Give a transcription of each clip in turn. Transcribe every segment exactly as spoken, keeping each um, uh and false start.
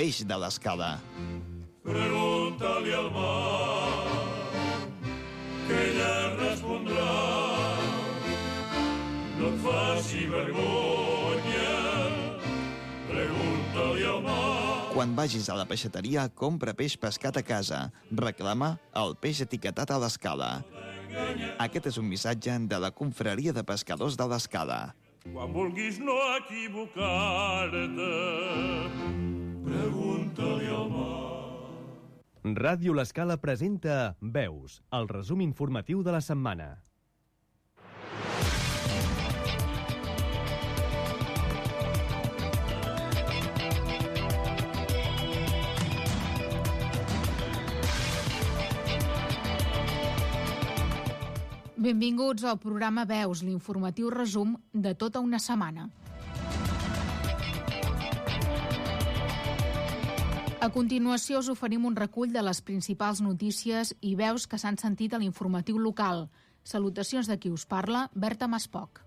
peix de l'Escala. Pregunta-li al mar, que ella respondrà. No et faci vergonya, pregunta-li al mar. Quan vagis a la peixateria, compra peix pescat a casa. Reclama el peix etiquetat a l'Escala. Aquest és un missatge de la Confraria de Pescadors de l'Escala. Quan vulguis no equivocar-te, pregunta-li al mar. Ràdio L'Escala presenta Veus, el resum informatiu de la setmana. Benvinguts al programa Veus, l'informatiu resum de tota una setmana. A continuació us oferim un recull de les principals notícies i veus que s'han sentit a l'informatiu local. Salutacions de qui us parla, Berta Maspoc.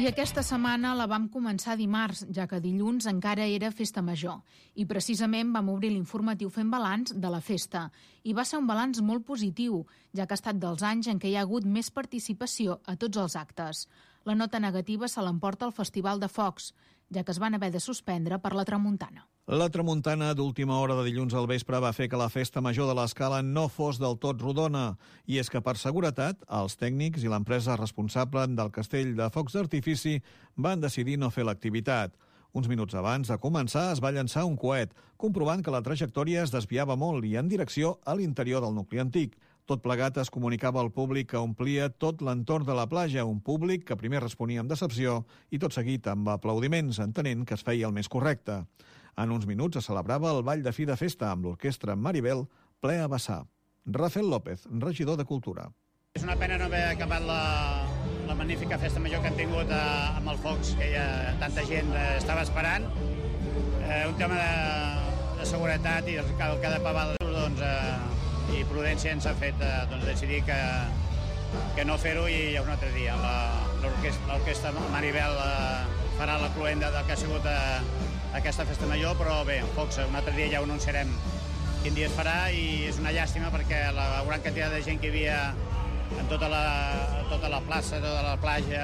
I aquesta setmana la vam començar dimarts, ja que dilluns encara era festa major. I precisament vam obrir l'informatiu fent balanç de la festa. I va ser un balanç molt positiu, ja que ha estat dels anys en què hi ha hagut més participació a tots els actes. La nota negativa se l'emporta el Festival de Focs, ja que es van haver de suspendre per la tramuntana. La tramuntana d'última hora de dilluns al vespre va fer que la festa major de l'Escala no fos del tot rodona. I és que, per seguretat, els tècnics i l'empresa responsable del castell de focs d'artifici van decidir no fer l'activitat. Uns minuts abans de començar es va llançar un coet, comprovant que la trajectòria es desviava molt i en direcció a l'interior del nucli antic. Tot plegat es comunicava al públic que omplia tot l'entorn de la platja, un públic que primer responia amb decepció i tot seguit amb aplaudiments, entenent que es feia el més correcte. En uns minuts es celebrava el ball de fi de festa amb l'orquestra Maribel ple a vessar. Rafael López, regidor de Cultura. És una pena no haver acabat la, la magnífica festa major que han tingut eh, amb els focs, que ja tanta gent eh, estava esperant. Eh, un tema de, de seguretat i el que ha de pagar doncs, eh, i prudència ens ha fet eh, doncs, decidir que, que no fer-ho i un altre dia. L'orquestra Maribel eh, farà la cluenda del que ha sigut eh, aquesta festa major, però bé, Focs, un altre dia ja ho anunciarem quin dia es farà i és una llàstima perquè la gran quantitat de gent que hi havia en tota la, tota la plaça, tota la platja,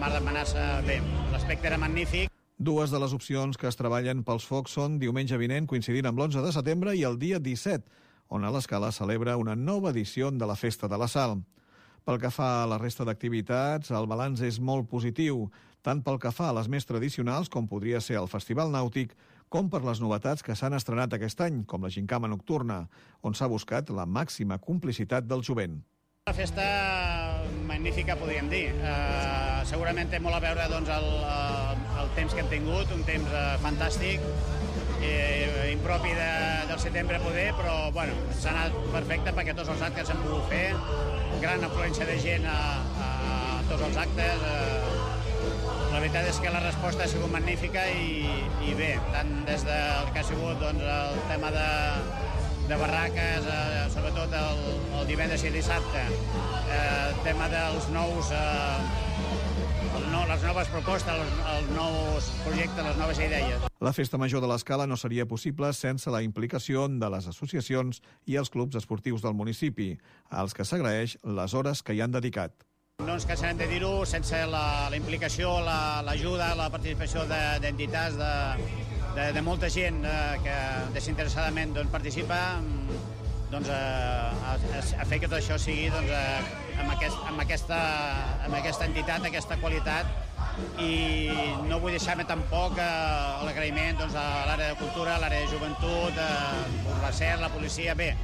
Mar de Manassa, bé, l'aspecte era magnífic. Dues de les opcions que es treballen pels focs són diumenge vinent, coincidint amb l'onze de setembre, i el dia disset, on a l'Escala celebra una nova edició de la Festa de la Sal. Pel que fa a la resta d'activitats, el balanç és molt positiu, tant pel que fa a les més tradicionals, com podria ser el Festival Nàutic, com per les novetats que s'han estrenat aquest any, com la Gincama Nocturna, on s'ha buscat la màxima complicitat del jovent. Una festa magnífica, podríem dir. Uh, segurament té molt a veure doncs, el, el temps que hem tingut, un temps uh, fantàstic, eh, impropi de, del setembre poder, però bueno, s'ha anat perfecte perquè tots els actes s'han pogut fer, gran afluència de gent a, a tots els actes. Uh, la veritat és que la resposta ha sigut magnífica i, i bé, tant des del que ha sigut doncs, el tema de de barraques, eh, sobretot el, el divendres i el dissabte, eh, el tema dels nous, eh, el no, les noves propostes, els, els nous projectes, les noves idees. La Festa Major de l'Escala no seria possible sense la implicació de les associacions i els clubs esportius del municipi, als que s'agraeix les hores que hi han dedicat. No ens cansarem de dir-ho, sense la, la implicació, l'ajuda, la, la participació d'entitats, de, de, de molta gent eh, que desinteressadament doncs, participa, doncs, eh, a, a fer que tot això sigui doncs, eh, amb, aquest, amb, aquesta, amb aquesta entitat, aquesta qualitat, i no vull deixar-me tampoc eh, l'agraïment doncs, a l'àrea de cultura, a l'àrea de joventut, eh, la S E R, la policia, bé,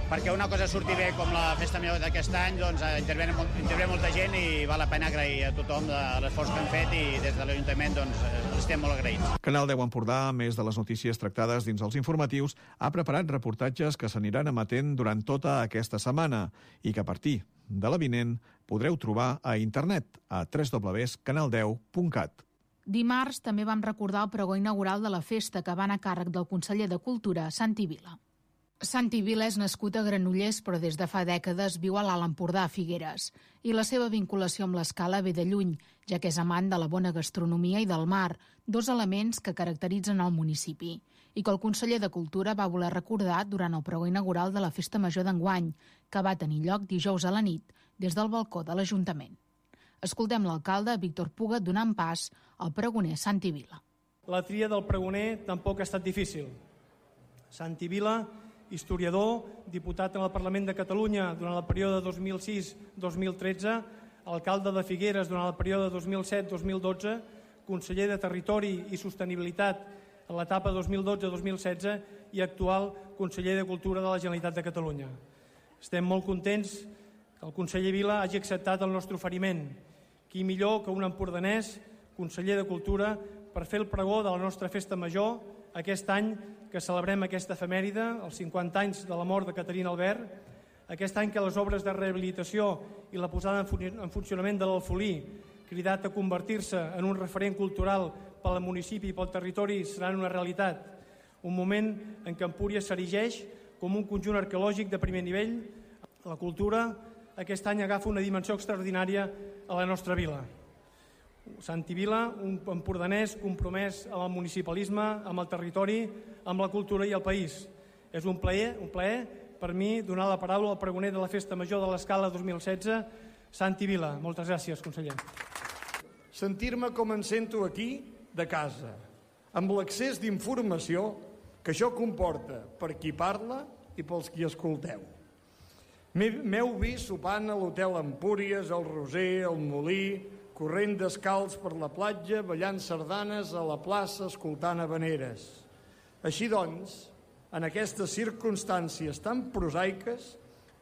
perquè una cosa surti bé com la festa major d'aquest any, doncs intervé, intervé molta gent i val la pena agrair a tothom de l'esforç que han fet i des de l'Ajuntament doncs, estem molt agraïts. Canal deu Empordà, a més de les notícies tractades dins els informatius, ha preparat reportatges que s'aniran emetent durant tota aquesta setmana i que a partir de la vinent podreu trobar a internet a w w w punt canal deu punt cat. Dimarts també vam recordar el pregó inaugural de la festa que va anar a càrrec del conseller de Cultura, Santi Vila. Santi Vila és nascut a Granollers, però des de fa dècades viu a l'Alt Empordà, a Figueres. I la seva vinculació amb l'escala ve de lluny, ja que és amant de la bona gastronomia i del mar, dos elements que caracteritzen el municipi, i que el conseller de Cultura va voler recordar durant el pregó inaugural de la Festa Major d'enguany, que va tenir lloc dijous a la nit, des del balcó de l'Ajuntament. Escoltem l'alcalde Víctor Puga donant pas al pregoner Santi Vila. La tria del pregoner tampoc ha estat difícil. Santi Vila, historiador, diputat en el Parlament de Catalunya durant el període dos mil sis a dos mil tretze, alcalde de Figueres durant el període dos mil set a dos mil dotze, conseller de Territori i Sostenibilitat en l'etapa dos mil dotze a dos mil setze i actual conseller de Cultura de la Generalitat de Catalunya. Estem molt contents que el conseller Vila hagi acceptat el nostre oferiment. Qui millor que un empordanès, conseller de Cultura, per fer el pregó de la nostra festa major aquest any que celebrem aquesta efemèride, els cinquanta anys de la mort de Caterina Albert, aquest any que les obres de rehabilitació i la posada en funcionament de l'Alfolí, cridat a convertir-se en un referent cultural pel municipi i pel territori, seran una realitat. Un moment en què Empúries s'erigeix com un conjunt arqueològic de primer nivell. La cultura aquest any agafa una dimensió extraordinària a la nostra vila. Santi Vila, un empordanès compromès amb el municipalisme, amb el territori, amb la cultura i el país. És un plaer, un plaer per mi donar la paraula al pregoner de la Festa Major de l'Escala dos mil setze, Santi Vila. Moltes gràcies, conseller. Sentir-me com em sento aquí, de casa, amb l'accés d'informació que això comporta per qui parla i pels qui escolteu. M'heu vist sopant a l'Hotel Empúries, al Roser, al Molí, corrent descalç per la platja, ballant sardanes a la plaça, escoltant habaneres. Així doncs, en aquestes circumstàncies tan prosaiques,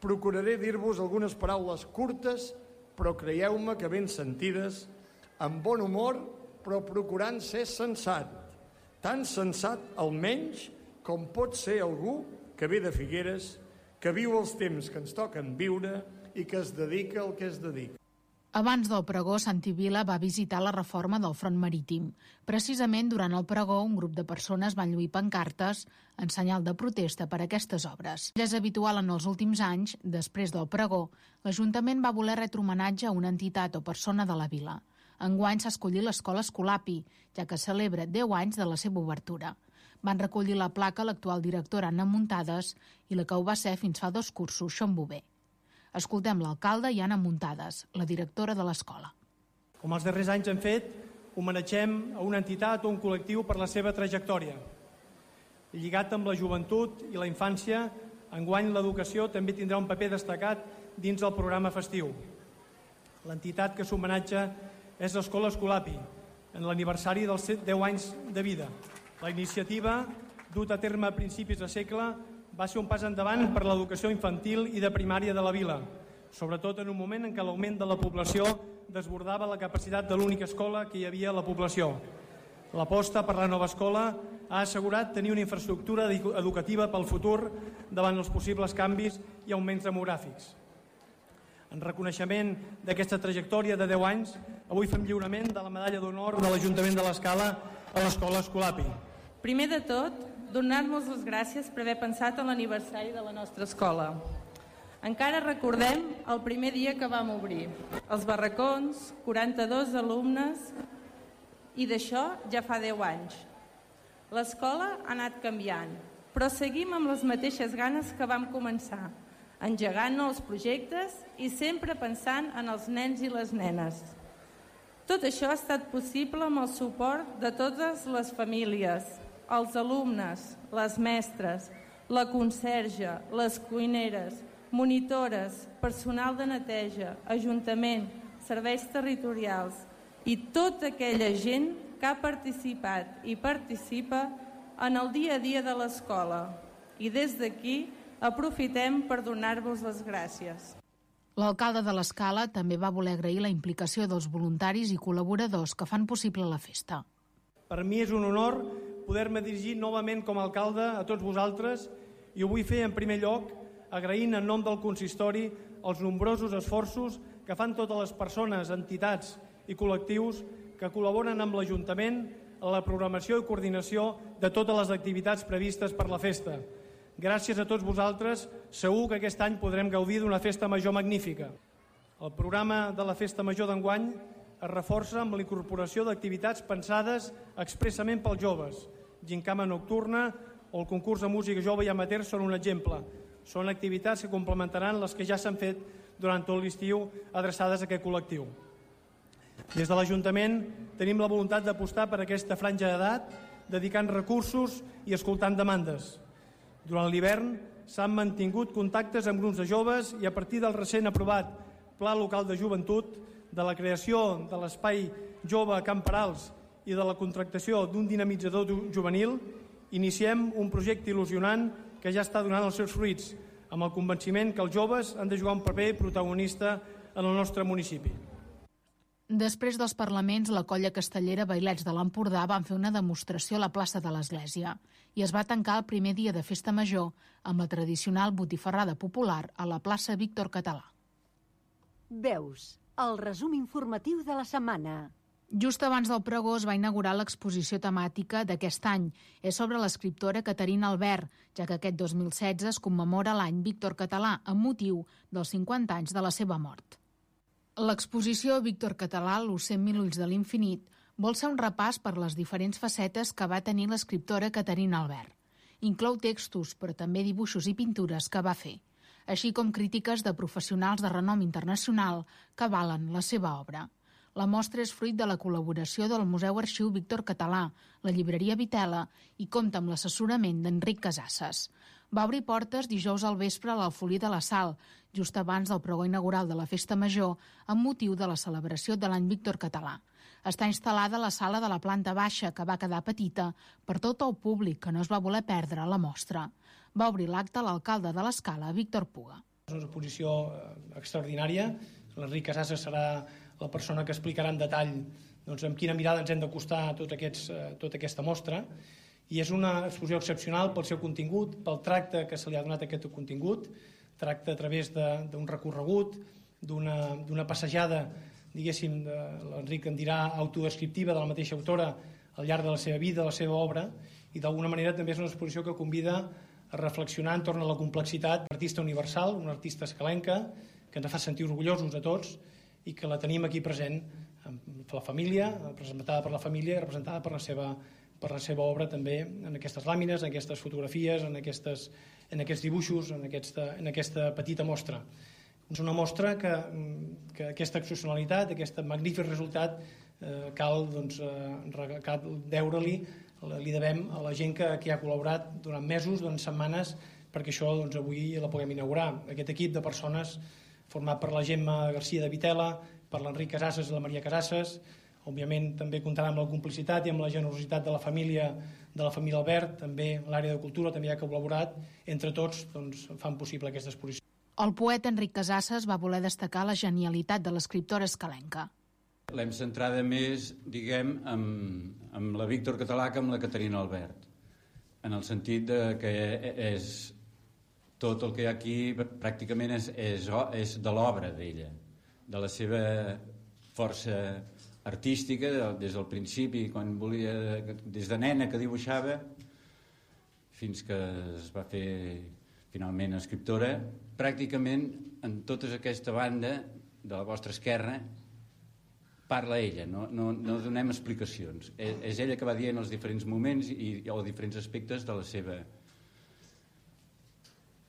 procuraré dir-vos algunes paraules curtes, però creieu-me que ben sentides, amb bon humor, però procurant ser sensat. Tan sensat, almenys, com pot ser algú que ve de Figueres, que viu els temps que ens toquen viure i que es dedica al que es dedica. Abans del pregó, Santi Vila va visitar la reforma del front marítim. Precisament durant el pregó, un grup de persones van lluir pancartes en senyal de protesta per aquestes obres. Ja és habitual en els últims anys, després del pregó, l'Ajuntament va voler retre homenatge a una entitat o persona de la vila. Enguany s'ha escollit l'escola Escolapi, ja que celebra deu anys de la seva obertura. Van recollir la placa l'actual directora Anna Muntades i la que ho va ser fins fa dos cursos, Xon Bové. Escoltem l'alcalde i Anna Muntades, la directora de l'escola. Com els darrers anys hem fet, homenatgem a una entitat o un col·lectiu per la seva trajectòria. Lligat amb la joventut i la infància, enguany l'educació també tindrà un paper destacat dins del programa festiu. L'entitat que s'homenatja és l'Escola Escolapi, en l'aniversari dels deu anys de vida. La iniciativa, duta a terme a principis de segle, va ser un pas endavant per l'educació infantil i de primària de la vila, sobretot en un moment en què l'augment de la població desbordava la capacitat de l'única escola que hi havia a la població. L'aposta per la nova escola ha assegurat tenir una infraestructura educativa pel futur davant els possibles canvis i augments demogràfics. En reconeixement d'aquesta trajectòria de deu anys, avui fem lliurament de la medalla d'honor de l'Ajuntament de l'Escala a l'Escola Escolapi. Primer de tot, donar-nos les gràcies per haver pensat en l'aniversari de la nostra escola. Encara recordem el primer dia que vam obrir. Els barracons, quaranta-dos alumnes, i d'això ja fa deu anys. L'escola ha anat canviant, però seguim amb les mateixes ganes que vam començar, engegant nous projectes i sempre pensant en els nens i les nenes. Tot això ha estat possible amb el suport de totes les famílies, els alumnes, les mestres, la conserge, les cuineres, monitores, personal de neteja, ajuntament, serveis territorials i tota aquella gent que ha participat i participa en el dia a dia de l'escola. I des d'aquí aprofitem per donar-vos les gràcies. L'alcalde de l'Escala també va voler agrair la implicació dels voluntaris i col·laboradors que fan possible la festa. Per mi és un honor poder-me dirigir novament com a alcalde a tots vosaltres i ho vull fer en primer lloc agraint en nom del consistori els nombrosos esforços que fan totes les persones, entitats i col·lectius que col·laboren amb l'Ajuntament en la programació i coordinació de totes les activitats previstes per la festa. Gràcies a tots vosaltres, segur que aquest any podrem gaudir d'una festa major magnífica. El programa de la Festa Major d'enguany es reforça amb la incorporació d'activitats pensades expressament pels joves. Gincama nocturna o el concurs de música jove i amateur són un exemple. Són activitats que complementaran les que ja s'han fet durant tot l'estiu adreçades a aquest col·lectiu. Des de l'Ajuntament tenim la voluntat d'apostar per aquesta franja d'edat, dedicant recursos i escoltant demandes. Durant l'hivern s'han mantingut contactes amb grups de joves i a partir del recent aprovat Pla Local de Joventut, de la creació de l'Espai Jove a Camp Perals i de la contractació d'un dinamitzador juvenil, iniciem un projecte il·lusionant que ja està donant els seus fruits, amb el convenciment que els joves han de jugar un paper protagonista en el nostre municipi. Després dels parlaments, la colla castellera Bailets de l'Empordà van fer una demostració a la plaça de l'Església i es va tancar el primer dia de Festa Major amb la tradicional botifarrada popular a la plaça Víctor Català. Veus, el resum informatiu de la setmana. Just abans del pregó es va inaugurar l'exposició temàtica d'aquest any. És sobre l'escriptora Caterina Albert, ja que aquest dos mil setze es commemora l'any Víctor Català amb motiu dels cinquanta anys de la seva mort. L'exposició Víctor Català, los cent mil ulls de l'infinit, vol ser un repàs per les diferents facetes que va tenir l'escriptora Caterina Albert. Inclou textos, però també dibuixos i pintures que va fer, així com crítiques de professionals de renom internacional que avalen la seva obra. La mostra és fruit de la col·laboració del Museu Arxiu Víctor Català, la llibreria Vitela i compta amb l'assessorament d'Enric Casasses. Va obrir portes dijous al vespre a l'Alfolí de la Sal, just abans del pregó inaugural de la Festa Major, amb motiu de la celebració de l'any Víctor Català. Està instal·lada a la sala de la planta baixa, que va quedar petita per tot el públic que no es va voler perdre la mostra. Va obrir l'acte l'alcalde de l'Escala, Víctor Puga. És una exposició extraordinària. L'Enric Casasses serà la persona que explicarà en detall doncs, amb quina mirada ens hem d'acostar a tot aquests, tota aquesta mostra. I és una exposició excepcional pel seu contingut, pel tracte que se li ha donat a aquest contingut, tracte a través d'un recorregut, d'una passejada, diguéssim, l'Enric en dirà autodescriptiva de la mateixa autora al llarg de la seva vida, de la seva obra, i d'alguna manera també és una exposició que convida a reflexionar entorn a la complexitat d'un artista universal, una artista escalenca, que ens fa sentir orgullosos a tots i que la tenim aquí present per la família, representada per la família i representada per la seva, per la seva obra també en aquestes làmines, en aquestes fotografies, en, aquestes, en aquests dibuixos, en aquesta, en aquesta petita mostra. És una mostra que, que aquesta excepcionalitat, aquest magnífic resultat, eh, cal, doncs, eh, cal deure-li, li devem a la gent que, que ha col·laborat durant mesos, durant setmanes, perquè això doncs, avui la puguem inaugurar. Aquest equip de persones format per la Gemma Garcia de Vitela, per l'Enric Casasses i la Maria Casasses. Òbviament també comptarà amb la complicitat i amb la generositat de la família de la família Albert, també l'àrea de cultura també ha col·laborat. Entre tots doncs, fan possible aquesta exposició. El poeta Enric Casasses va voler destacar la genialitat de l'escriptora escalenca. L'hem centrada més, diguem, amb, amb la Víctor Català que amb la Caterina Albert, en el sentit de que és tot el que hi ha aquí pràcticament és, és, és de l'obra d'ella, de la seva força artística, des del principi, quan volia, des de nena que dibuixava, fins que es va fer finalment escriptora. Pràcticament en tota aquesta banda de la vostra esquerra parla ella, no, no, no donem explicacions. És, és ella que va dient els diferents moments i, o diferents aspectes de la seva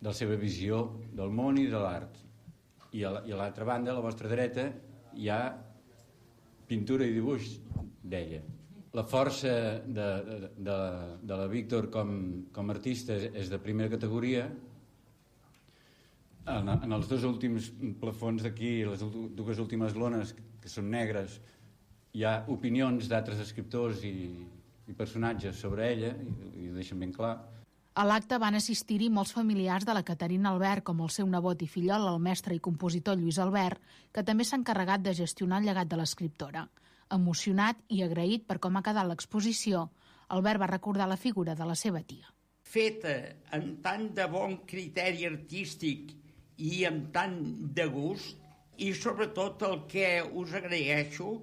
de la seva visió del món i de l'art. I a l'altra banda, a la vostra dreta, hi ha pintura i dibuix d'ella. La força de, de, de la Víctor com, com a artista és de primera categoria. En, en els dos últims plafons d'aquí, les dues últimes lones, que són negres, hi ha opinions d'altres escriptors i, i personatges sobre ella, i, i ho deixen ben clar. A l'acte van assistir-hi molts familiars de la Caterina Albert, com el seu nebot i fillol, el mestre i compositor Lluís Albert, que també s'ha encarregat de gestionar el llegat de l'escriptora. Emocionat i agraït per com ha quedat l'exposició, Albert va recordar la figura de la seva tia. Feta amb tant de bon criteri artístic i amb tant de gust, i sobretot el que us agraeixo,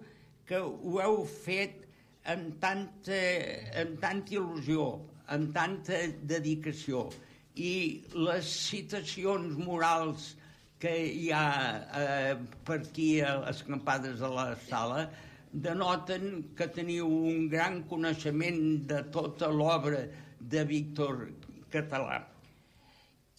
que ho heu fet amb tanta, amb tanta il·lusió, amb tanta dedicació, i les citacions morals que hi ha eh, per aquí a les campades de la sala denoten que teniu un gran coneixement de tota l'obra de Víctor Català.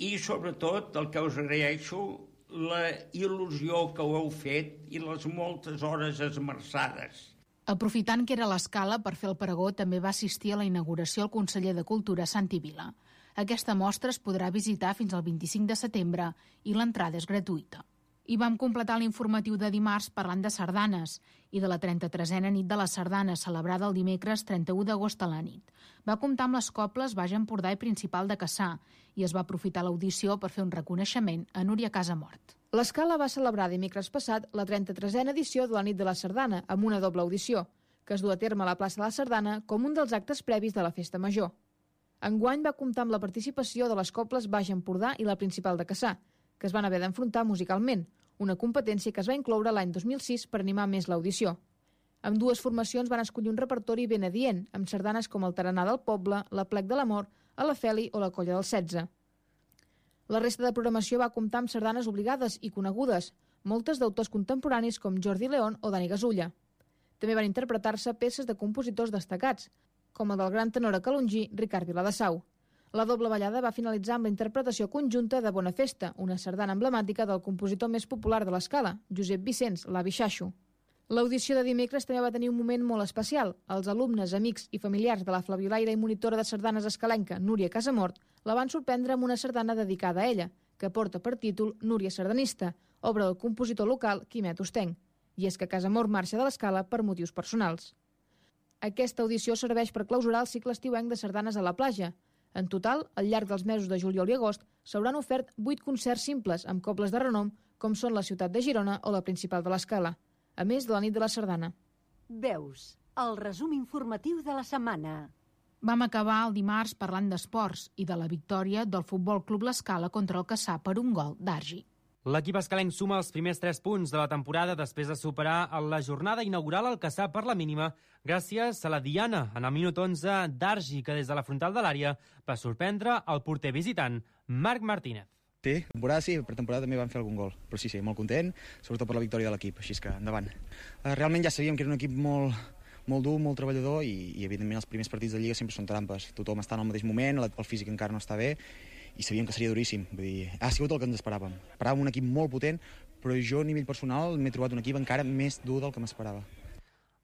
I, sobretot, el que us agraeixo, la il·lusió que ho heu fet i les moltes hores esmerçades. Aprofitant que era a l'Escala per fer el pregó, també va assistir a la inauguració el conseller de Cultura, Santi Vila. Aquesta mostra es podrà visitar fins al vint-i-cinc de setembre i l'entrada és gratuïta. I vam completar l'informatiu de dimarts parlant de sardanes i de la trenta-tresena nit de la sardana, celebrada el dimecres trenta-u d'agost a la nit. Va comptar amb les cobles Baix Empordà i Principal de Cassà i es va aprofitar l'audició per fer un reconeixement a Núria Casamort. L'Escala va celebrar dimecres passat la trenta-tresena edició de la nit de la sardana amb una doble audició, que es du a terme a la plaça de la Sardana com un dels actes previs de la Festa Major. Enguany va comptar amb la participació de les cobles Baix Empordà i la Principal de Cassà, que es van haver d'enfrontar musicalment, una competència que es va incloure l'any dos mil sis per animar més l'audició. Amb dues formacions van escollir un repertori ben adient, amb sardanes com el Taranà del Poble, la Plec de l'Amor, a la Feli o la Colla del setze. La resta de programació va comptar amb sardanes obligades i conegudes, moltes d'autors contemporanis com Jordi León o Dani Gasulla. També van interpretar-se peces de compositors destacats, com el del gran tenor calongí Ricard Viladesau. La doble ballada va finalitzar amb la interpretació conjunta de Bona Festa, una sardana emblemàtica del compositor més popular de l'Escala, Josep Vicenç, l'avi Xaixo. L'audició de dimecres també va tenir un moment molt especial. Els alumnes, amics i familiars de la flabiolaire i monitora de sardanes escalenca, Núria Casamort, la van sorprendre amb una sardana dedicada a ella, que porta per títol Núria Sardanista, obra del compositor local Quimet Ostenc. I és que Casamort marxa de l'Escala per motius personals. Aquesta audició serveix per clausurar el cicle estiuenc de sardanes a la platja. En total, al llarg dels mesos de juliol i agost, s'hauran ofert vuit concerts simples amb cobles de renom, com són la ciutat de Girona o la Principal de l'Escala, a més de la nit de la sardana. Veus, el resum informatiu de la setmana. Vam acabar el dimarts parlant d'esports i de la victòria del Futbol Club l'Escala contra el Cassà per un gol d'Argi. L'equip escalenc suma els primers tres punts de la temporada després de superar la jornada inaugural al Cassà per la mínima gràcies a la diana en el minut onze d'Argi, que des de la frontal de l'àrea va sorprendre el porter visitant Marc Martínez. Sí, temporada sí, per temporada també van fer algun gol, però sí, sí, molt content, sobretot per la victòria de l'equip, així que endavant. Realment ja sabíem que era un equip molt, molt dur, molt treballador i, i evidentment els primers partits de Lliga sempre són trampes. Tothom està en el mateix moment, el físic encara no està bé i sabíem que seria duríssim. Vull dir, ha sigut el que ens esperàvem. Esperàvem un equip molt potent, però jo a nivell personal m'he trobat un equip encara més dur del que m'esperava.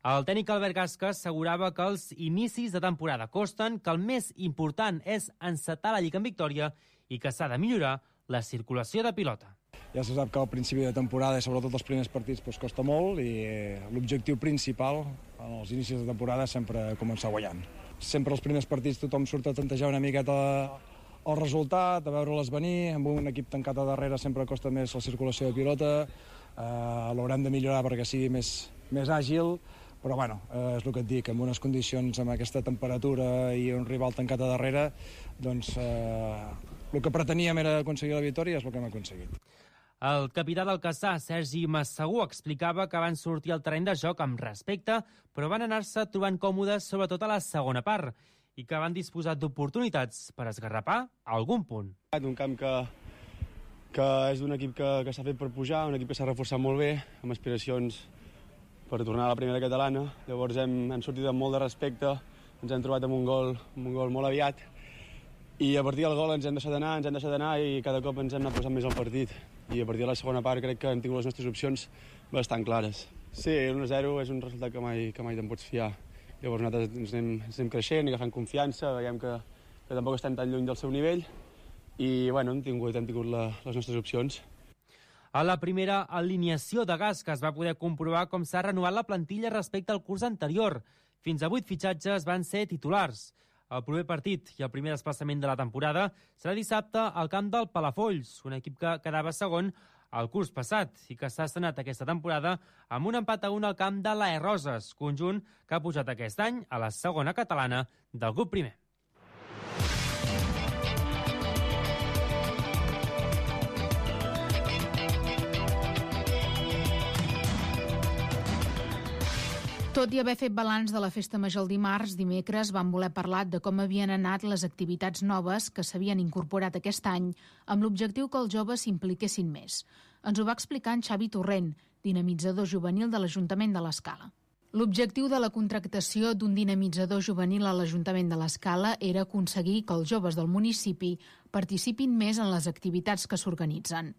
El tècnic Albert Gasca assegurava que els inicis de temporada costen, que el més important és encetar la Lliga en victòria i que s'ha de millorar la circulació de pilota. Ja se sap que al principi de temporada, sobretot els primers partits, doncs costa molt i l'objectiu principal en els inicis de temporada és sempre començar guanyant. Sempre els primers partits tothom surt a tantejar una miqueta el resultat, a veure-les venir, amb un equip tancat a darrere sempre costa més la circulació de pilota, eh, l'haurem de millorar perquè sigui més, més àgil, però bueno, eh, és el que et dic, en unes condicions amb aquesta temperatura i un rival tancat a darrere, doncs eh, el que preteníem era aconseguir la victòria i és el que hem aconseguit. El capità del Cassà, Sergi Massagú, explicava que van sortir al terreny de joc amb respecte, però van anar-se trobant còmodes sobretot a la segona part i que van disposar d'oportunitats per esgarrapar algun punt. Un camp que, que és d'un equip que, que s'ha fet per pujar, un equip que s'ha reforçat molt bé, amb aspiracions per tornar a la primera catalana. Llavors hem, hem sortit amb molt de respecte, ens hem trobat amb un gol, amb un gol molt aviat i a partir del gol ens hem deixat d'anar, ens hem deixat d'anar i cada cop ens hem anat posant més al partit. I a partir de la segona part crec que hem tingut les nostres opcions bastant clares. Sí, l'u a zero és un resultat que mai, que mai te'n pots fiar. Llavors nosaltres ens anem, ens anem creixent i agafant confiança, veiem que, que tampoc estem tan lluny del seu nivell i bueno, hem tingut, hem tingut la, les nostres opcions. A la primera alineació de Gasca es va poder comprovar com s'ha renovat la plantilla respecte al curs anterior. Fins a vuit fitxatges van ser titulars. El proper partit i el primer desplaçament de la temporada serà dissabte al camp del Palafolls, un equip que quedava segon el curs passat i que s'ha estrenat aquesta temporada amb un empat a un al camp de l'A E Roses, conjunt que ha pujat aquest any a la segona catalana del grup primer. Tot i haver fet balanç de la Festa Major el dimarts, dimecres van voler parlar de com havien anat les activitats noves que s'havien incorporat aquest any amb l'objectiu que els joves s'impliquessin més. Ens ho va explicar en Xavi Torrent, dinamitzador juvenil de l'Ajuntament de l'Escala. L'objectiu de la contractació d'un dinamitzador juvenil a l'Ajuntament de l'Escala era aconseguir que els joves del municipi participin més en les activitats que s'organitzen.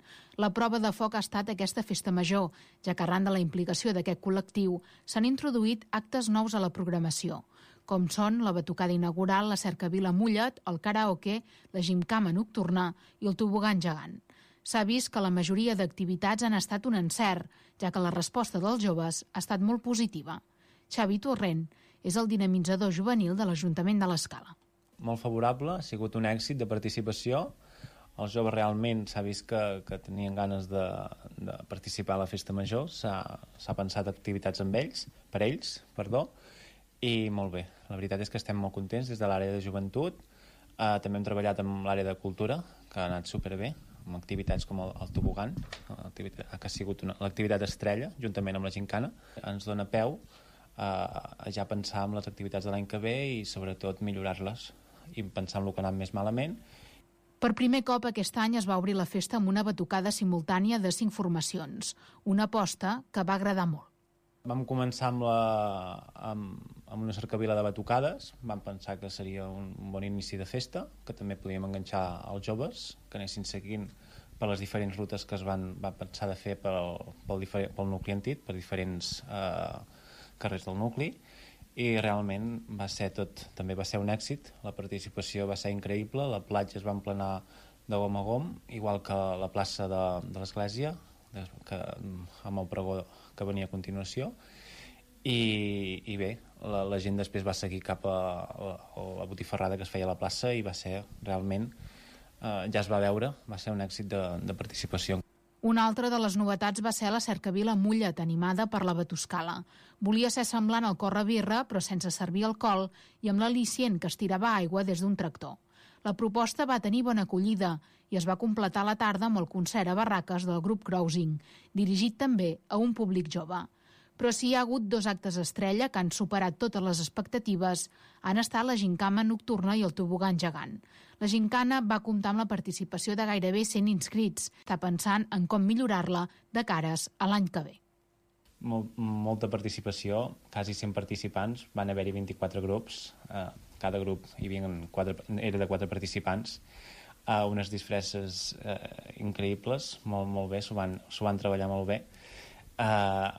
La prova de foc ha estat aquesta Festa Major, ja que arran de la implicació d'aquest col·lectiu s'han introduït actes nous a la programació, com són la batucada inaugural, la cercavila Mullet, el karaoke, la gimcama nocturna i el tobogan gegant. S'ha vist que la majoria d'activitats han estat un encert, ja que la resposta dels joves ha estat molt positiva. Xavi Torrent és el dinamitzador juvenil de l'Ajuntament de l'Escala. Molt favorable, ha sigut un èxit de participació. Els joves realment s'ha vist que, que tenien ganes de, de participar a la Festa Major, s'ha pensat activitats amb ells, per ells, perdó, i molt bé. La veritat és que estem molt contents des de l'àrea de joventut. Eh, també hem treballat amb l'àrea de cultura, que ha anat superbé, amb activitats com el, el tobogan, que ha sigut l'activitat estrella, juntament amb la gincana. Ens dona peu a, a ja pensar en les activitats de l'any que ve i sobretot millorar-les i pensar en el que ha anat més malament. Per primer cop aquest any es va obrir la festa amb una batucada simultània de cinc formacions, una aposta que va agradar molt. Vam començar amb, la, amb, amb una cercavila de batucades, vam pensar que seria un, un bon inici de festa, que també podíem enganxar els joves, que anessin seguint per les diferents rutes que es van, van pensar de fer pel, pel, pel nucli antic, per diferents eh, carrers del nucli, i realment va ser tot, també va ser un èxit, la participació va ser increïble, la platja es va emplenar de gom a gom, igual que la plaça de, de l'església, que, amb el pregó que venia a continuació, i, i bé, la, la gent després va seguir cap a la, a la botifarrada que es feia a la plaça i va ser realment, eh, ja es va veure, va ser un èxit de, de participació. Una altra de les novetats va ser la cercavila Mullet, animada per la Batuscala. Volia ser semblant al corre-birra, però sense servir alcohol i amb l'al·licient que es tirava aigua des d'un tractor. La proposta va tenir bona acollida i es va completar la tarda amb el concert a barraques del grup Crousing, dirigit també a un públic jove. Però si hi ha hagut dos actes estrella que han superat totes les expectatives, han estat la gincama nocturna i el tobogan gegant. La gincana va comptar amb la participació de gairebé cent inscrits, està pensant en com millorar-la de cares a l'any que ve. Mol, molta participació, quasi cent participants, van haver-hi vint-i-quatre grups, eh, cada grup hi havia quatre, era de quatre participants, eh, unes disfresses eh, increïbles, molt, molt bé, s'ho van, s'ho van treballar molt bé, eh,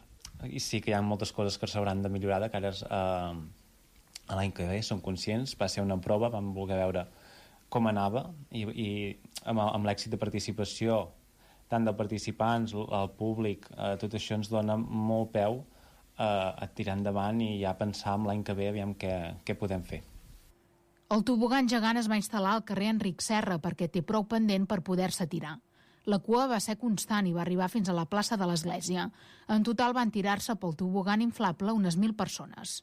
i sí que hi ha moltes coses que s'hauran de millorar de cares eh, a l'any que ve, som conscients, va ser una prova, vam voler veure com anava, i, i amb, amb l'èxit de participació tant de participants, el públic, eh, tot això ens dona molt peu eh, a tirar endavant i ja pensar en l'any que ve aviam què, què podem fer. El tobogan gegant es va instal·lar al carrer Enric Serra perquè té prou pendent per poder-se tirar. La cua va ser constant i va arribar fins a la plaça de l'Església. En total van tirar-se pel tobogan inflable unes mil persones.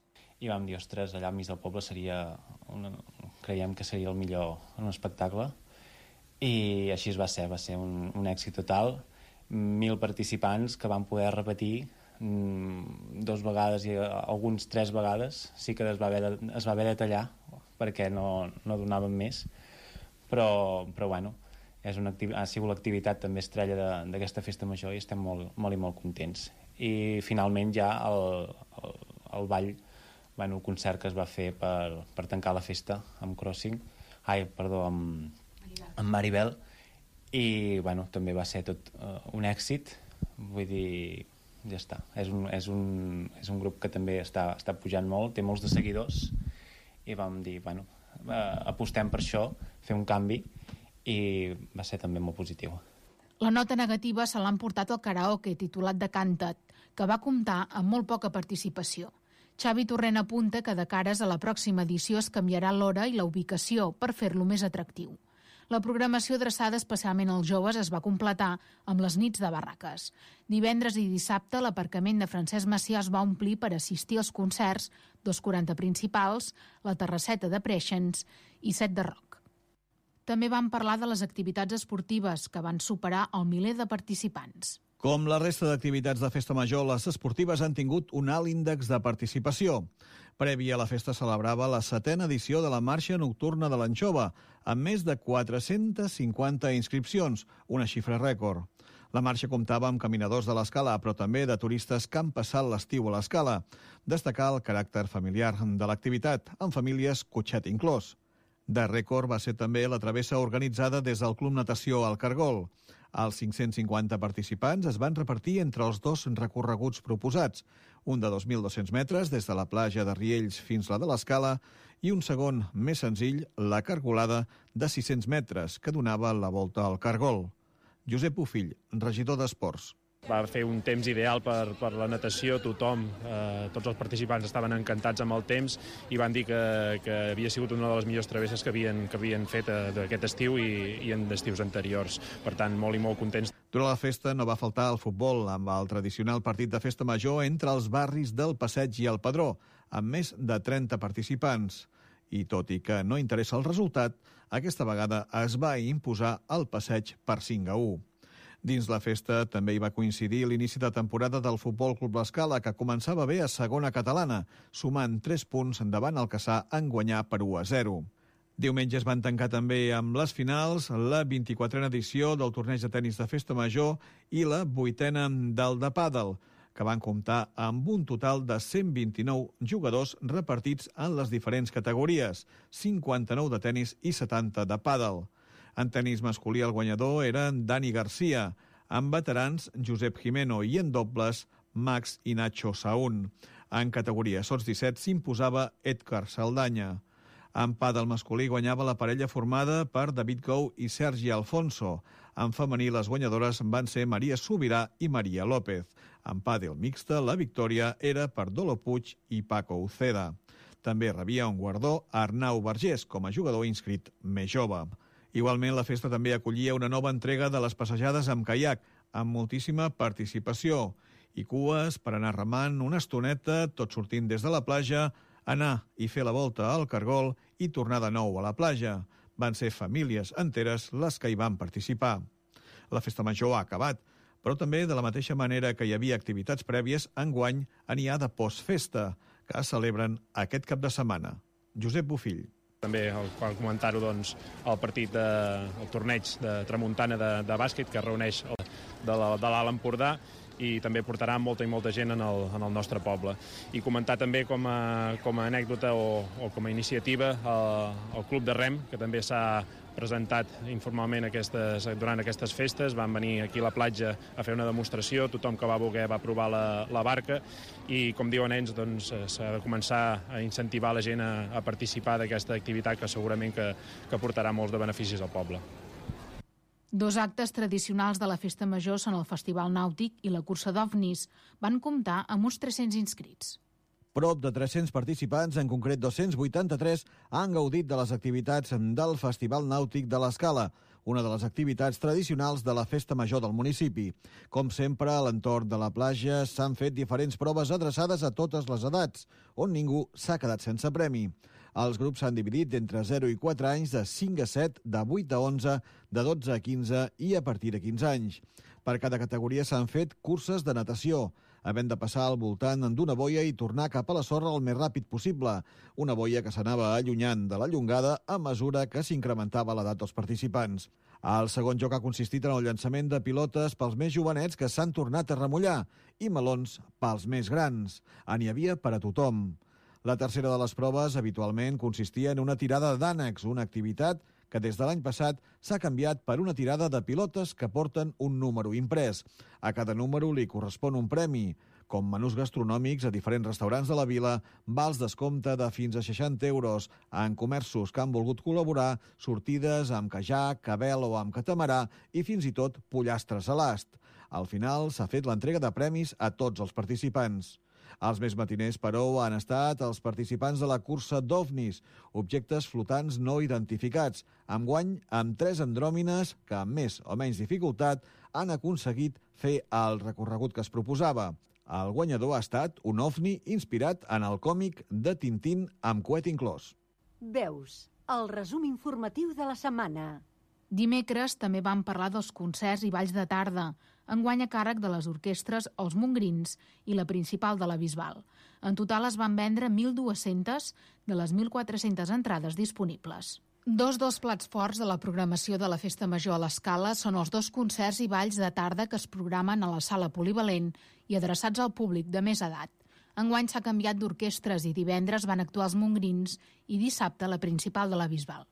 I vam dir, ostres, allà al mig del poble seria una... creiem que seria el millor en un espectacle. I així es va ser, va ser un, un èxit total. Mil participants que van poder repetir mmm, dos vegades i alguns tres vegades. Sí que es va haver de, es va haver de tallar perquè no, no donaven més. Però, però bueno, és una activitat, ha sigut l'activitat també estrella d'aquesta festa major i estem molt, molt i molt contents. I finalment ja el, el, el ball, bueno, el concert que es va fer per, per tancar la festa amb Crossing, ai, perdó, amb amb Maribel, i bueno, també va ser tot uh, un èxit, vull dir, ja està, és un, és un, és un grup que també està, està pujant molt, té molts de seguidors, i vam dir, bueno, uh, apostem per això, fer un canvi, i va ser també molt positiu. La nota negativa se l'han portat al karaoke titulat de Canta't, que va comptar amb molt poca participació. Xavi Torrent apunta que de cares a la pròxima edició es canviarà l'hora i la ubicació per fer-lo més atractiu. La programació adreçada especialment als joves es va completar amb les nits de barraques. Divendres i dissabte l'aparcament de Francesc Macià es va omplir per assistir als concerts, dos quaranta principals, la terrasseta de Preixens i set de rock. També van parlar de les activitats esportives, que van superar el miler de participants. Com la resta d'activitats de Festa Major, les esportives han tingut un alt índex de participació. Prèvia a la festa celebrava la setena edició de la Marxa Nocturna de l'Anxova, amb més de quatre-centes cinquanta inscripcions, una xifra rècord. La marxa comptava amb caminadors de l'Escala, però també de turistes que han passat l'estiu a l'Escala. Destacar el caràcter familiar de l'activitat, amb famílies cotxet inclòs. De rècord va ser també la travessa organitzada des del Club Natació al Cargol. Els cinc-cents cinquanta participants es van repartir entre els dos recorreguts proposats, un de dos mil dos-cents metres des de la platja de Riells fins la de l'Escala i un segon, més senzill, la cargolada de sis-cents metres, que donava la volta al Cargol. Josep Bofill, regidor d'Esports. Va fer un temps ideal per, per la natació, tothom, eh, tots els participants estaven encantats amb el temps i van dir que, que havia sigut una de les millors travesses que havien, que havien fet eh, d'aquest estiu i, i en estius anteriors. Per tant, molt i molt contents. Durant la festa no va faltar el futbol, amb el tradicional partit de Festa Major entre els barris del Passeig i el Padró, amb més de trenta participants. I tot i que no interessa el resultat, aquesta vegada es va imposar el Passeig per cinc a u. Dins la festa també hi va coincidir l'inici de temporada del Futbol Club L'Escala, que començava bé a segona catalana, sumant tres punts davant el Cassà en guanyar per u a zero. Diumenge es van tancar també amb les finals, la vint-i-quatrena edició del torneig de tennis de Festa Major i la vuitena del de pàdel, que van comptar amb un total de cent vint-i-nou jugadors repartits en les diferents categories, cinquanta-nou de tennis i setanta de pàdel. En tenis masculí el guanyador era Dani Garcia, en veterans Josep Jimeno i en dobles Max i Nacho Saún. En categoria sots disset s'imposava Edgar Saldanya. En pàdel masculí guanyava la parella formada per David Gou i Sergi Alfonso. En femení les guanyadores van ser Maria Subirà i Maria López. En pàdel mixta la victòria era per Dolo Puig i Paco Uceda. També rebia un guardó Arnau Vergés com a jugador inscrit més jove. Igualment, la festa també acollia una nova entrega de les passejades amb caiac, amb moltíssima participació i cues per anar remant una estoneta, tot sortint des de la platja, anar i fer la volta al Cargol i tornar de nou a la platja. Van ser famílies enteres les que hi van participar. La festa major ha acabat, però també de la mateixa manera que hi havia activitats prèvies, enguany n'hi ha de postfesta, que es celebren aquest cap de setmana. Josep Bofill. També cal comentar-ho, doncs, el partit, de, el torneig de Tramuntana de, de bàsquet que reuneix el, de l'Alt Empordà i també portarà molta i molta gent en el, en el nostre poble. I comentar també com a, com a anècdota o, o com a iniciativa el, el Club de Rem, que també s'ha presentat informalment aquestes, durant aquestes festes. Van venir aquí a la platja a fer una demostració, tothom que va voler va provar la, la barca i, com diuen ells, doncs, s'ha de començar a incentivar la gent a, a participar d'aquesta activitat que segurament que, que portarà molts de beneficis al poble. Dos actes tradicionals de la Festa Major són el Festival Nàutic i la cursa d'ovnis. Van comptar amb uns tres-cents inscrits. Prop de tres-cents participants, en concret dos-cents vuitanta-tres, han gaudit de les activitats del Festival Nàutic de l'Escala, una de les activitats tradicionals de la Festa Major del municipi. Com sempre, a l'entorn de la platja s'han fet diferents proves adreçades a totes les edats, on ningú s'ha quedat sense premi. Els grups s'han dividit entre zero i quatre anys, de cinc a set, de vuit a onze, de dotze a quinze i a partir de quinze anys. Per cada categoria s'han fet curses de natació, havent de passar al voltant d'una boia i tornar cap a la sorra el més ràpid possible. Una boia que s'anava allunyant de la llongada a mesura que s'incrementava l'edat dels participants. El segon joc ha consistit en el llançament de pilotes pels més jovenets que s'han tornat a remullar i melons pels més grans. N'hi havia per a tothom. La tercera de les proves habitualment consistia en una tirada d'ànecs, una activitat que des de l'any passat s'ha canviat per una tirada de pilotes que porten un número imprès. A cada número li correspon un premi, com menús gastronòmics a diferents restaurants de la vila, vals descompte de fins a seixanta euros en comerços que han volgut col·laborar, sortides amb caiac, cabel o amb catamarà i fins i tot pollastres a l'ast. Al final s'ha fet l'entrega de premis a tots els participants. Els més matiners, però, han estat els participants de la cursa d'ovnis, objectes flotants no identificats, amb guany amb tres andròmines que, amb més o menys dificultat, han aconseguit fer el recorregut que es proposava. El guanyador ha estat un ovni inspirat en el còmic de Tintín amb coet inclòs. Veus, el resum informatiu de la setmana. Dimecres també vam parlar dels concerts i balls de tarda. enguany a càrrec de les orquestres Els Mongrins i la Principal de la Bisbal. En total es van vendre mil dues-centes de les mil quatre-centes entrades disponibles. Dos dels plats forts de la programació de la Festa Major a l'Escala són els dos concerts i balls de tarda que es programen a la sala polivalent i adreçats al públic de més edat. Enguany s'ha canviat d'orquestres i divendres van actuar els Mongrins i dissabte la Principal de la Bisbal.